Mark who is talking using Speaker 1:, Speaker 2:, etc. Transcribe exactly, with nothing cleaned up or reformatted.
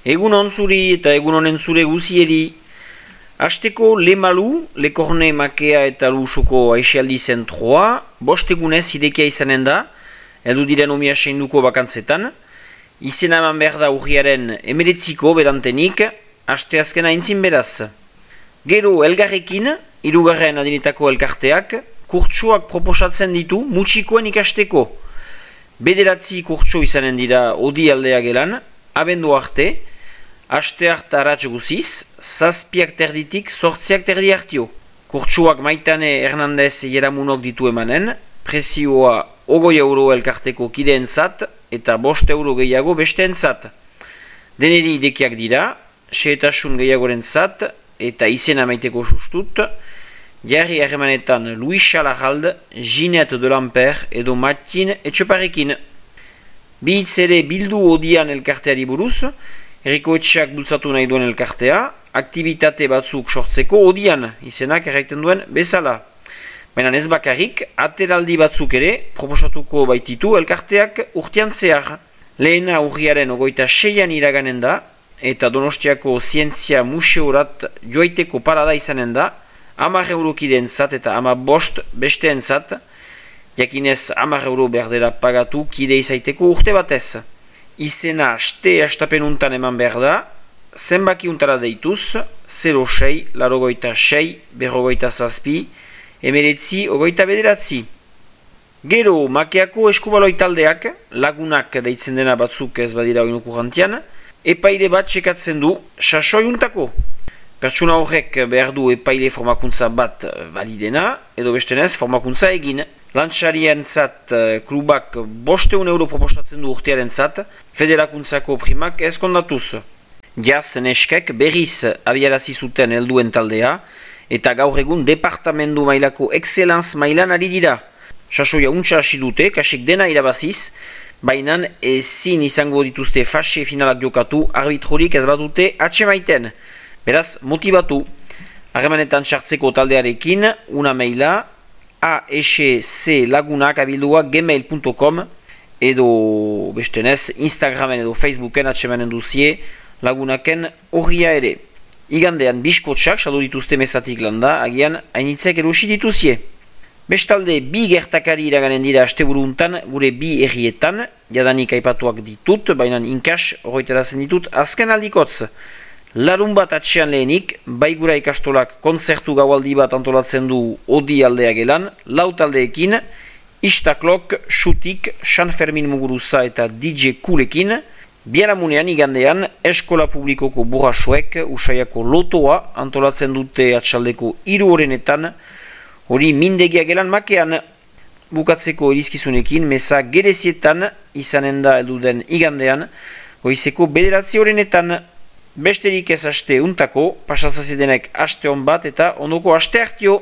Speaker 1: Egun onzuri eta egun honen zure guzieri. Asteko Le Malu, Le Corne Makea eta Lusoko aixialdi zentroa, bost egunez idekia izanen da, edu diren omia seinduko bakantzetan. Izena eman behar da urriaren emeretziko berantenik, aste azkena intzin beraz. Gero elgarrekin, hirugarren adinetako elkarteak, kurtsuak proposatzen ditu mutxikoen ikasteko. Bederatzi kurtsu izanen dira odi aldea gelan, abendu arte, aste hart aratz guziz, zazpiak terditik sortziak terdi hartio. Kurtsuak Maitane Hernandez Jeramunok ditu emanen, prezioa ogoi euro elkarteko kideen zat, eta bost euro gehiago besteen zat. Deneri idekiak dira, seetasun gehiagoren zat, eta izena maiteko sustut, jarri harremanetan Luis Chalarald, Ginette de Lamper edo Matin Etxeparekin. Bihitz ere bildu odian elkarteari buruz, Eriko Etxeak bultzatu nahi duen elkartea, aktibitate batzuk sortzeko odian, izenak erraiten duen bezala. Baina ez bakarrik, ateraldi batzuk ere, proposatuko baititu elkarteak urtean zehar. Lehena urriaren ogoita seian iraganen da, eta Donostiako Zientzia Museorat joaiteko parada izanen da, hamar eurokideen zat eta hamar bost besteen zat, jakinez hamar euro berdera pagatu kide izaiteko urte batez. Izena aste astapenuntan eman behar da, zenbaki untara deituz, zero sei, larogoita sei, berrogoita zazpi, emeretzi, ogoita bederatzi. Gero, Makeako eskubaloi taldeak, lagunak deitzen dena batzuk ez badira oinuku jantian, epaile bat txekatzen du, sasoi untako. Pertsuna horrek behar du epaile formakuntza bat validena, edo bestenez formakuntza egin. Lantxarien zat klubak bosteun euro proposatzen du urtearen zat, federakuntzako primak ez kondatuz. Jaz neskek berriz abiarazi zuten helduen taldea, eta gaur egun departamendu mailako excelenz mailan ari dira. Sasoia untsa hasi dute, kasik dena irabaziz, baina ezin izango dituzte fase finalak jokatu arbitrorik ez badute atsemaiten. Beraz, motibatu. Harremanetan sartzeko taldearekin, una maila, a s c lagunak abildua gmail punto com edo bestenez Instagramen edo Facebooken atsemanen duzie lagunaken horria ere. Igandean biskotxak saldu dituzte mezatik landa, agian hainitzek erosi dituzie. Bestalde bi gertakari iraganen dira asteburuntan gure bi errietan, jadanik aipatuak ditut, baina inkas horretarazen ditut azken aldikotz. Larun bat atxean lehenik, baigura ikastolak kontzertu gaualdi bat antolatzen du odi aldea gelan, lau taldeekin, Istaklok, Xutik, San Fermin Muguruza eta D J Kulekin, biharamunean igandean eskola publikoko burrasoek Usaiako lotoa antolatzen dute atxaldeko hiru horrenetan, hori mindegia gelan Makean. Bukatzeko erizkizunekin, meza gerezietan izanen da elduden igandean, goizeko bederatzi horrenetan. Besterik ez aste untako, pasazazidenek aste hon bat eta ondoko aste hartio.